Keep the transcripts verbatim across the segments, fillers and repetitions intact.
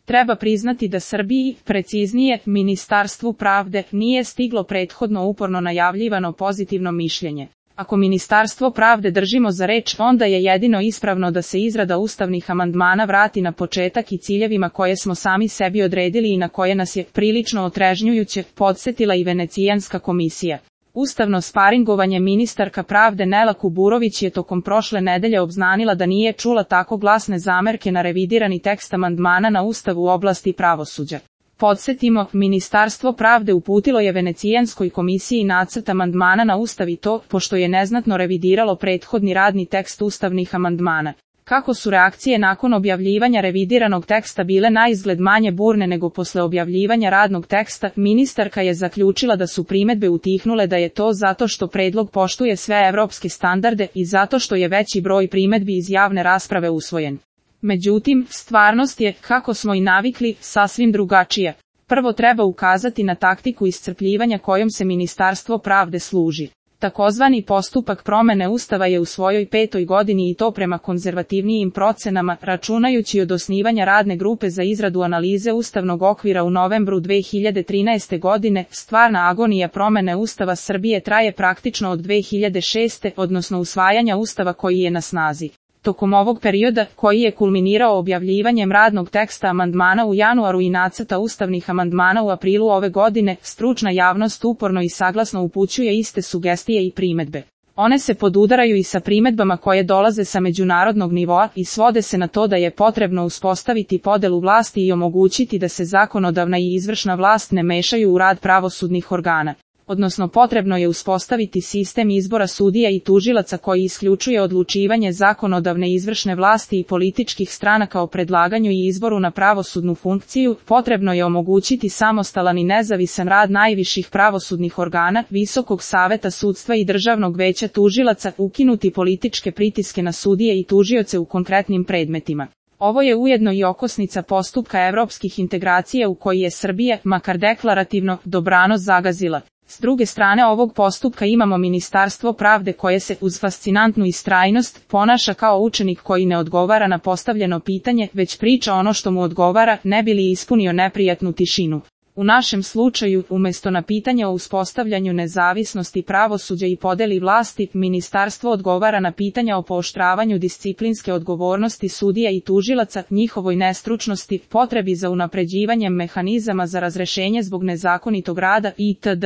Treba priznati da Srbiji, preciznije, Ministarstvu pravde, nije stiglo prethodno uporno najavljivano pozitivno mišljenje. Ako Ministarstvo pravde držimo za reč, onda je jedino ispravno da se izrada ustavnih amandmana vrati na početak i ciljevima koje smo sami sebi odredili i na koje nas je, prilično otrežnjujuće, podsjetila i Venecijanska komisija. Ustavno sparingovanje ministarka pravde Nela Kuburović je tokom prošle nedelje obznanila da nije čula tako glasne zamerke na revidirani tekst amandmana na Ustav u oblasti pravosuđa. Podsjetimo, Ministarstvo pravde uputilo je Venecijanskoj komisiji nacrt amandmana na Ustav i to, pošto je neznatno revidiralo prethodni radni tekst ustavnih amandmana. Kako su reakcije nakon objavljivanja revidiranog teksta bile naizgled manje burne nego posle objavljivanja radnog teksta, ministarka je zaključila da su primedbe utihnule, da je to zato što predlog poštuje sve evropske standarde i zato što je veći broj primedbi iz javne rasprave usvojen. Međutim, stvarnost je, kako smo i navikli, sasvim drugačija. Prvo treba ukazati na taktiku iscrpljivanja kojom se Ministarstvo pravde služi. Takozvani postupak promene Ustava je u svojoj petoj godini i to prema konzervativnijim procenama, računajući od osnivanja radne grupe za izradu analize ustavnog okvira u novembru dve hiljade trinaeste. godine, stvarna agonija promene Ustava Srbije traje praktično od dve hiljade šeste. odnosno usvajanja Ustava koji je na snazi. Tokom ovog perioda, koji je kulminirao objavljivanjem radnog teksta amandmana u januaru i nacrta ustavnih amandmana u aprilu ove godine, stručna javnost uporno i saglasno upućuje iste sugestije i primedbe. One se podudaraju i sa primedbama koje dolaze sa međunarodnog nivoa i svode se na to da je potrebno uspostaviti podelu vlasti i omogućiti da se zakonodavna i izvršna vlast ne mešaju u rad pravosudnih organa. Odnosno potrebno je uspostaviti sistem izbora sudija i tužilaca koji isključuje odlučivanje zakonodavne izvršne vlasti i političkih stranaka o predlaganju i izboru na pravosudnu funkciju, potrebno je omogućiti samostalan i nezavisan rad najviših pravosudnih organa, Visokog saveta sudstva i Državnog veća tužilaca, ukinuti političke pritiske na sudije i tužioce u konkretnim predmetima. Ovo je ujedno i okosnica postupka evropskih integracija u koji je Srbija, makar deklarativno, dobrano zagazila. S druge strane ovog postupka imamo Ministarstvo pravde koje se, uz fascinantnu istrajnost, ponaša kao učenik koji ne odgovara na postavljeno pitanje, već priča ono što mu odgovara, ne bi li ispunio neprijatnu tišinu. U našem slučaju, umjesto na pitanje o uspostavljanju nezavisnosti pravosuđa i podeli vlasti, ministarstvo odgovara na pitanja o pooštravanju disciplinske odgovornosti sudija i tužilaca, njihovoj nestručnosti, potrebi za unapređivanjem mehanizama za razrešenje zbog nezakonitog rada itd.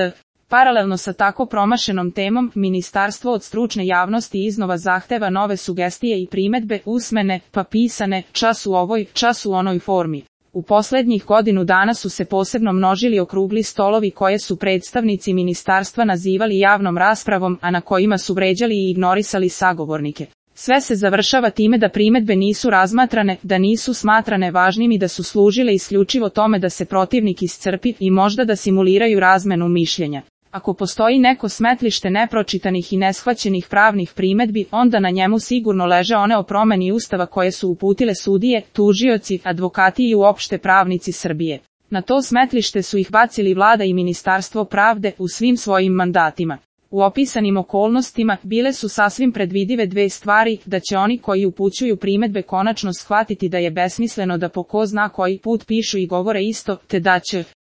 Paralelno sa tako promašenom temom, ministarstvo od stručne javnosti iznova zahteva nove sugestije i primedbe, usmene, pa pisane, čas u ovoj, čas u onoj formi. U posljednjih godinu dana su se posebno množili okrugli stolovi koje su predstavnici ministarstva nazivali javnom raspravom, a na kojima su vređali i ignorisali sagovornike. Sve se završava time da primedbe nisu razmatrane, da nisu smatrane važnim i da su služile isključivo tome da se protivnik iscrpi i možda da simuliraju razmenu mišljenja. Ako postoji neko smetlište nepročitanih i neshvaćenih pravnih primedbi, onda na njemu sigurno leže one o promeni Ustava koje su uputile sudije, tužioci, advokati i uopšte pravnici Srbije. Na to smetlište su ih bacili vlada i Ministarstvo pravde u svim svojim mandatima. U opisanim okolnostima bile su sasvim predvidive dve stvari, da će oni koji upućuju primedbe konačno shvatiti da je besmisleno da po ko zna koji put pišu i govore isto, te da će